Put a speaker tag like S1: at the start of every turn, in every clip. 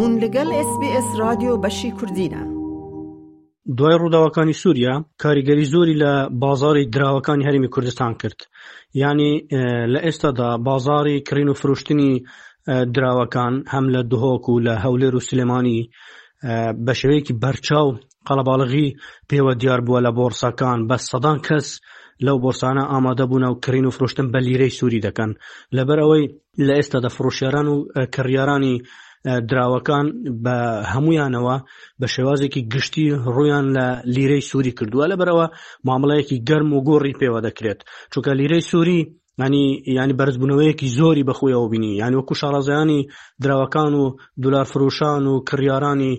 S1: هون لەگەڵ SBS رادیۆ بەشی کوردینە.
S2: دوای ڕووداوەکانی سووریا کاریگەری زۆری لە بازاری دراوەکانی هەرێمی کوردستان کرد یعنی لە ئێستادا بازاری کڕین و فرۆشتنی دراوەکان هەم لە دهۆک و لە هەولێر و سلێمانی بە شێوەیەکی بەرچاو قەڵەباڵغی پێوە دیار بووە لە بۆرسەکان بە سەدان کەس لەو بۆرسانە ئامادە بوونە و کڕین و فرۆشتن بە لیرەی سووری دەکەن لەبەر ئەوەی لە ئێستادا فڕۆشیاران و کڕیارانی دراوەکان بە هەمویانەوە بە شێوازێکی گشتی ڕویان لە لیرەی سووری کردووە لەبەرەوە مامەڵەیەکی گەرم و گۆڕی پێوە دەکرێت چونکە لیرەی سووری ینی ینی بەرزبوونەوەیەکی زۆری بەخۆیەوە بینی یانی وەکو شارەزایانی دراوەکان و دلار فرۆشان و کڕیارانی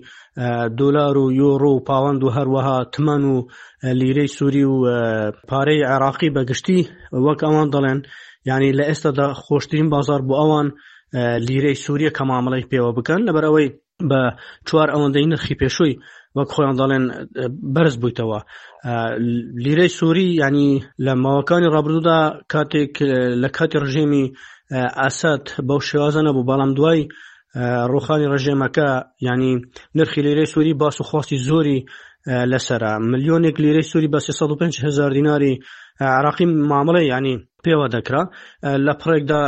S2: دۆلار و یۆرۆ و پاوەند و هەروەها تمەن و لیرەی سووری و پارەی عێراقی بەگشتی وەک ئەوان دەڵێن یعنی لە ئێستادا خۆشترین بازار بۆ ئەوان لیرەی سووریە کە مامەڵەی پێوە بکەن لەبەر ئەوەی بە چوار ئەوەندەی نرخی پێشووی وەک خۆیان دەڵێن بەرز بوویتەوە لیرەی سووری ینی لە ماوەکانی ڕابردوودا کاتێک لە کاتی ڕژێمی ئەسەد بەو شێوازە نەبوو بەڵام دوای ڕوخانی ڕژێمەکە ینی نرخی لیرەی سووری باس و خواستی زۆری لەسرە ملیۆنێک لیرەی سووری بە 305 هزار دیناری عراقی مامەڵەی ینی پێوە دەکرا لە پڕێکدا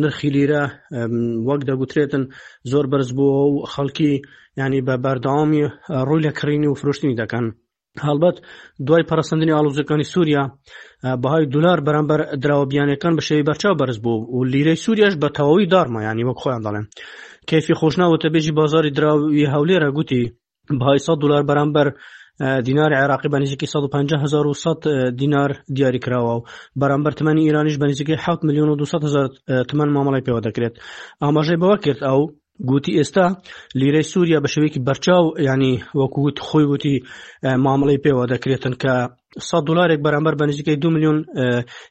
S2: نرخی لیرە وەک دەگوترێتن زۆر بەرز بووە و خەڵکی ینی بە بەردەوامی ڕووی لە کڕینی و فرۆشتنی دەکەن هەڵبەت دوای پەرەسەندنی ئاڵۆزیەکانی سووریا بەهای دلار بەرامبەر دراوە بیانەکان بە شێوی بەرچاو بەرز بوو و لیرەی سووریاش بە تەواوی دارما ینی وەک خۆیان دەڵێن کەیفی خۆشناو وتەبێژی بازاری دراوی هەولێرە گوتی بەهای 100 دلار بەرامبەر دیناری عێراقی بە نزیکەی 150,100 دینار دیاری کراوە و بەرامبەر تمەنی ئیرانیش بە نزیکەی 7 میلیۆن و 200 هزار تمەن مامەڵەی پێوە دەکرێت ئاماژەی بەوە کرد ئەو گوتی ئێستا لیرەی سووریا بە شێوەیەکی بەرچاو ینی وەکووت خۆی وتی مامەڵەی پێوە دەکرێتن کە 100 دلارێک بەرامبەر بە نزیکەی 2 میلیۆن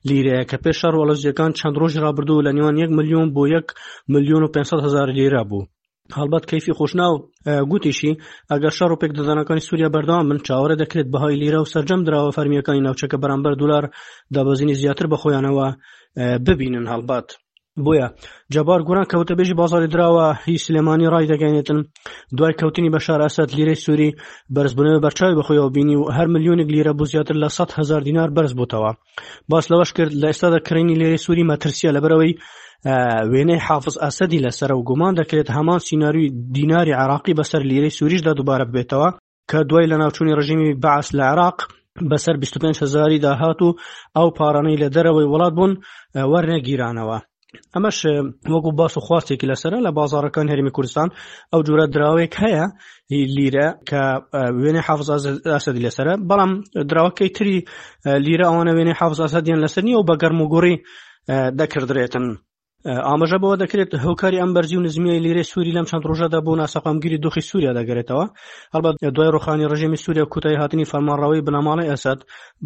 S2: لیرەیە کە پێش شەڕ وەڵزیەکان چەند ڕۆژی ڕابردوو لە نێوان 1 میلیۆن بۆ 1 میلیۆن و 500 هزار لیرە بوو. هەڵبەت کەیفی خۆشناو گوتیشی ئەگەر شەڕ و پێکدادانەکانی سووریا بەردەوام بن چاوەڕێ دەکرێت بەهای لیرە و سەرجەم دراوە فەرمییەکانی ناوچەکە بەرامبەر دولار دابەزینی زیاتر بەخۆیانەوە ببینن هەڵبەت بۆیە جەبار گۆران کە وتەبێژی بازاری دراوە هی سلێمانی ڕای دەگەێنێتن دوای کەوتنی بەشار ئەسەد لیرەی سووری بەرزبوونەوەی بەرچاوی بەخۆیەوە بینی و هەر ملیۆنێک لیرە بۆ زیاتر لە 100 هزار دینار بەرز بووتەوە باس لەوەش کرد لە ئێستادا کڕینی لیرەی سووری مەترسیە لەبەرەوەی وێنەی حافز ئەسەدی لەسەرە و گومان دەکرێت هەمان سیناریوی دیناری عراقی بەسەر لیرەی سووریشدا دووبارە ببێتەوە کە دوای لەناوچوونی ڕژیمی بەعس لە عێراق بەسەر 25 هزاری داهات و ئەو پارانەی لە دەرەوەی وڵات بوون وەرنەگیرانەوە. ئەمەش وەکو باس و خواستێکی لەسرە لە بازارەکان هەرمی کوردستان ئەو جورە دراوێک هەیە لیرە کە وێنەی حافظ ئاسەدی لەسرە بەڵام دراوەکەی تری لیرە ئەوانە وێنەی حافظ ئاسەدیان لەسەر نییە و بە گەرم و گوڕی دەکردرێتن. ئاماژە بەوە دەکرێت هۆکاری ئەم بەرزی و نزمیای لیرەی سووری لەم چەند ڕۆژەدا بۆ ناسەقامگیری دۆخی سووریا دەگەرێتەوە هەڵبەت دوای ڕوخانی ڕژێمی سووریا کوتایی هاتنی فەرمانڕەوەی بنەماڵەی ئەسەد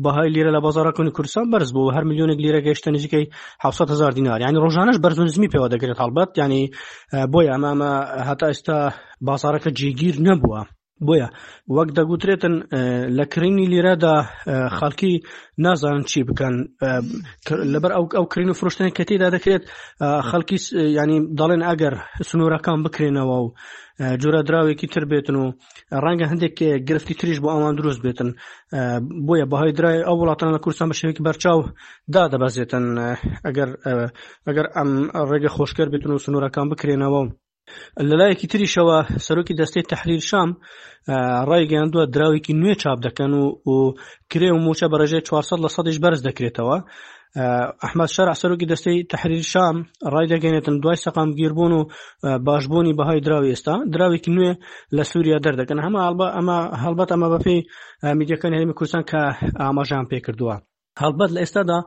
S2: بەهای لیرە لە بازاڕەکانی کوردستان بەرز بوو هەر ملیۆنێک لیرە گەیشتە نزیکەی 700 هزار دینار یعنی ڕۆژانەش بەرز و نزمی پێوە دەگرێت هەڵبەت یعنی بۆیە ئەمە ئەمە هەتا ئێستا بازاڕەکە جێگیر نەبووە بۆیە وەک دەگوترێتن لە کڕینی لیرەدا خەڵکی نازانن چی بکەن لەبەر ئەو ئەو کڕین و فرۆشتنی کە تێدا دەکرێت خەڵکی ینی دەڵێن ئەگەر سنوورەکان بکرێنەوە و جۆرە دراوێکی تر بێتن و ڕەنگە هەندێک گرفتی تریش بۆ ئەوان دروست بێتن بۆیە بەهای درای ئەو وڵاتان لە کوردستان بە شێوەیەکی بەرچاو دادەبەزێتن ئەگەر ئەگەر ئەم ڕێگە خۆشکەر بێتن و سنوورەکان بکرێنەوە لەلایەکی تریشەوە سەرۆکی دەستەی تەحریر شام ڕایگەیاندووە دراوێکی نوێ چاپ دەکەن و و کرێ و موچە بە ڕێژەی 400 لە سەدیش بەرز دەکرێتەوە ئەحمد شەرع سەرۆکی دەستەی تەحریر شام ڕایدەگەێنێتن دوای سەقامگیربوون و باشبوونی بەهای دراوی ئێستا دراوێکی نوێ لە سووریا دەردەکەن هەمە ئەمە هەڵبەت ئەمە بەپێی میدیەکانی هەرێمی کوردستان کە ئاماژان پێکردووە هەڵبەت لە ئێستادا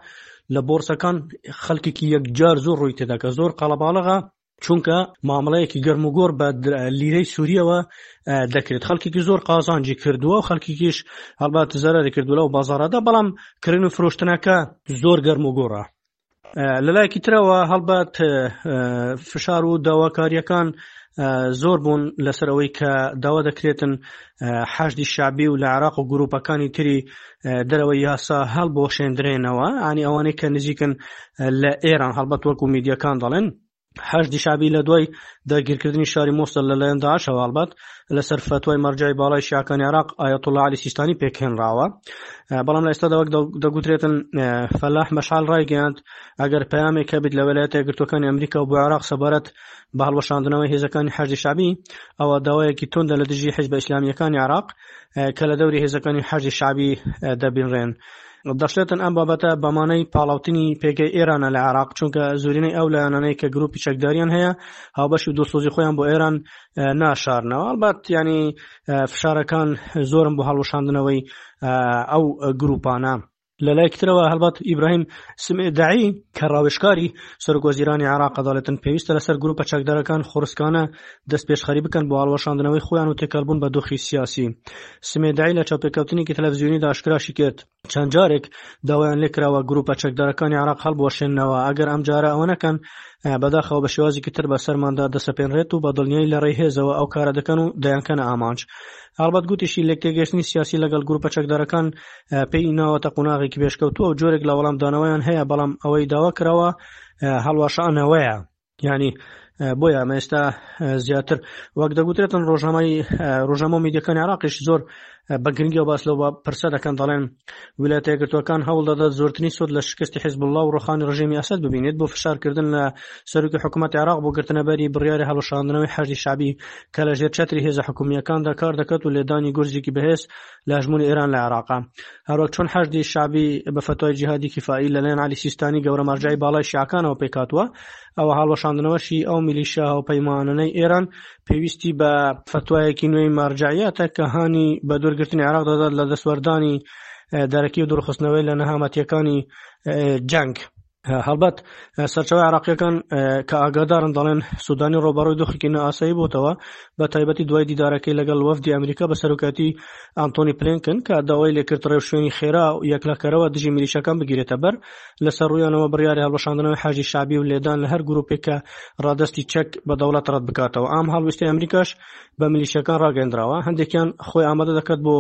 S2: لە بۆرسەکان خەڵکێکی یەکجار زۆر ڕووی تێداکە زۆر قەڵەباڵغە چونکە مامەڵەیەکی گەرم و گۆڕ بە لیرەی سووریەوە دەکرێت خەڵکێکی زۆر قازانجی کردووە و خەڵکێکیش هەڵبەت زەرری کردو لەو بازاڕدا بەڵام کڕین و فرۆشتنەکە زۆر گەرم و گۆڕە لەلایەکی ترەوە هەڵبەت فشار و داواکاریەکان زۆر بوون لەسەر ئەوەی کە داوا دەکرێتن حەشدی شعبی و لە عراق و گروپەکانی تری دەرەوەی یاسا هەڵبۆشێندرێنەوە ئانی ئەوانەی کە نزیکن لە ئێران هەڵبەت وەکو میدیەکان دەڵێن. حەشدی شەعبی لە دوای داگیرکردنی شاری مۆسڵ لەلایەن داعشەوە هەڵبەت لەسەر فەتوای مەرجعی باڵای شیعەکانی عێراق ئایەتوڵڵا عەلی سیستانی پێکهێنراوە بەڵام لە ئێستادا وەک دەگوترێتن فەلاح مەشعەل ڕایگەیاند ئەگەر پەیامێک هەبێت لە ویلایەتە یەکگرتووەکانی ئەمریکا و بۆ عێراق سەبارەت بە هەڵوەشاندنەوەی هێزەکانی حەشدی شەعبی ئەوە داوایەکی توندە لە دژی حیزبە ئیسلامییەکانی عێراق کە لە دەوری هێزەکانی حەشدی شەعبی دەبینرێن. دەشڵێتن ئەم بابەتە بەمانەی پاڵاوتنی پێگەی ئێرانە لە عێراق چونکە زۆرینەی ئەو لایەنانەی کە گروپی چەکداریان هەیە هاوبەشی و دڵسۆزی خۆیان بۆ ئێران ناشارنەوە ئەڵبەت ینی فشارەکان زۆرن بۆ هەڵوەشاندنەوەی ئەو گروپانە. لەلایەکی ترەوە هەڵبەت ئیبراهیم سمێدەعی کە ڕاوێژکاری سەرۆک وەزیرانی عێراقە دەڵێتن پێویستە لەسەر گروپە چەکدارەکان خۆڕسکانە دەستپێشخەری بکەن بۆ هەڵوەشاندنەوەی خۆیان و تێکەڵبوون بە دۆخی سیاسی. سمێدەعی لە چاوپێکەوتنێکی تەلەفزیۆنیدا ئاشکراشی کرد، چەند جارێک داوایان لێکراوە گروپە چەکدارەکانی عێراق هەڵبوەشێننەوە، ئەگەر ئەمجارە ئەوە نەکەن بەداخەوە بە شێوازێکی تر بەسەرماندا دەسەپێنرێت و بە دڵنیایی لە ڕێی هێزەوە ئەو کارە دەکەن و دەیانکەنە ئامانج. هەڵبەت گوتیشی لێکتێگەیشتنی سیاسی لەگەڵ گروپە چەکدارەکان پێی ناوەتە قۆناغێکی پێشکەوتووە و جۆرێک لە وەڵامدانەوەیان هەیە، بەڵام ئەوەی داوا کراوە هەڵوەشانەوەیە. یعنی بۆیە ئەمە ئێستا زیاتر وەک دەگوترێتن ڕۆژنامەی ڕۆژنامە و میدیەکانی عراقیش زۆر بە گرنگیەوە باس لەو پرسە دەکەن دەڵێن ویلایەتە یەکگرتووەکان هەوڵ دەدات زۆرترین سوود لە شکستی حیزبوڵڵا و ڕوخانی ڕژێمی ئەسەد ببینێت بۆ فشارکردن لە سەرۆکی حکوومەتی عێراق بۆ گرتنەبەری بڕیاری هەڵوەشاندنەوەی حەشدی شەعبی کە لە ژێر چەتری هێزە حکومییەکاندا کار دەکات و لێدانی گورزێکی بەهێز لە هەژموونی ئێران لە عێراقە. هەروەک چۆن حەشدی شەعبی بە فەتوای جیهادی کیفائی لەلایەن عەلی سیستانی گەورە مەرجەعی باڵای شیعەکانەوە پێکهاتووە، ئەوە هەڵوەشاندنەوەشی ئەو میلیشیا هاوپەیمانانەی ئێران پێویستی بە فەتوایەکی نوێی مەرجەعیەتە کە هانی بە دوورگرتنی عێراق دەدات لە دەستوەردانی دەرەکی و دوورخستنەوەی لە نەهامەتییەکانی جەنگ. هەڵبەت سەرچاوە عێراقیەکان کە ئاگادارن دەڵێن سودانی ڕۆبەڕووی دۆخێکی نائاسایی بۆتەوە بە تایبەتی دوای دیدارەکەی لەگەڵ وەفدی ئەمریکا بە سەرۆکایەتی ئانتۆنی پلینکن کە داوای لێکرد ڕێوشوێنی خێرا و یەکلاکەرەوە دژی میلیشیاکان بگیرێتە بەر لەسەر ڕوویانەوە بڕیاری هەڵوەشاندنەوەی حەشدی شەعبی و لێدان لە هەر گروپێک کە ڕادەستی چەک بە دەوڵەت ڕەت بکاتەوە ئەم هەڵویستی ئەمریکاش بە میلیشیاکان ڕاگەندراوە هەندێکیان خۆی ئامادە دەکات بۆ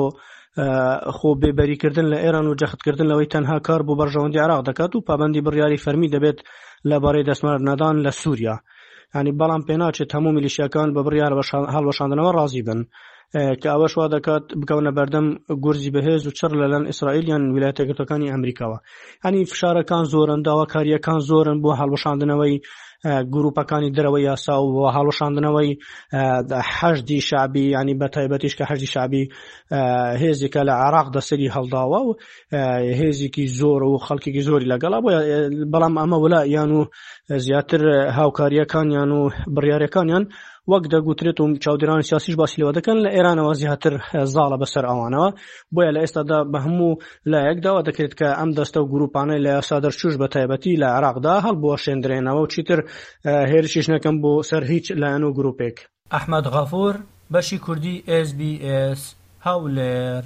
S2: خۆ بێبەریکردن لە ئێران و جەختکردن لەوەی تەنها کار بۆ بەرژەوەندی عێراق دەکات و پابەندی بڕیاری فەرمی دەبێت لەبارەی دەستوەردان لە سووریا ینی بەڵام پێناچێت هەموو میلیشیاکان بە بڕیار هەڵوەشاندنەوە ڕازی بن کە ئەوەش وا دەکات بکەونە بەردەم گورزی بەهێز و چڕ لەلایەن ئیسرائیل یان ویلایەتە یەکگرتووەکانی ئەمریکاوە هەنی فشارەکان زۆرن داواکاریەکان زۆرن بۆ هەڵوەشاندنەوەی گروپەکانی دەرەوەی یاسا و هەڵوەشاندنەوەی حەشدی شەعبی ینی بە تایبەتیش کە حەشدی شەعبی هێزێکە لە عێراق دەسەری هەڵداوە و هێزێکی زۆر و خەڵکێکی زۆری لەگەڵا بۆ بەڵام ئەمە ولا یان و زیاتر هاوکاریەکانیان و بڕیارەکانیان وەک دەگوترێت و چاودێرانی سیاسیش باسی لەوە دەکەن لە ئێرانەوە زیاتر زاڵە بەسەر ئەوانەوە بۆیە لە ئێستادا بە هەموو لایەک داوا دەکرێت کە ئەم دەستە و گروپانەی لە یاسا دەرچوش بە تایبەتی لە عێراقدا هەڵبوەشێندرێنەوە و چیتر هێرشیش نەکەن بۆ سەر هیچ لایەن و گروپێک.
S3: ئەحمەد غەفور، بەشی کوردی ئێس بی ئێس، هەولێر.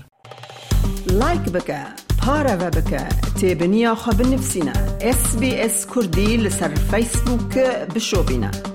S1: لایک بکە پارەڤە بکە تێبنیا خو بنفسینە ئێس بی ئێس کوردی لەسەر فەیسبووک بشۆبینە.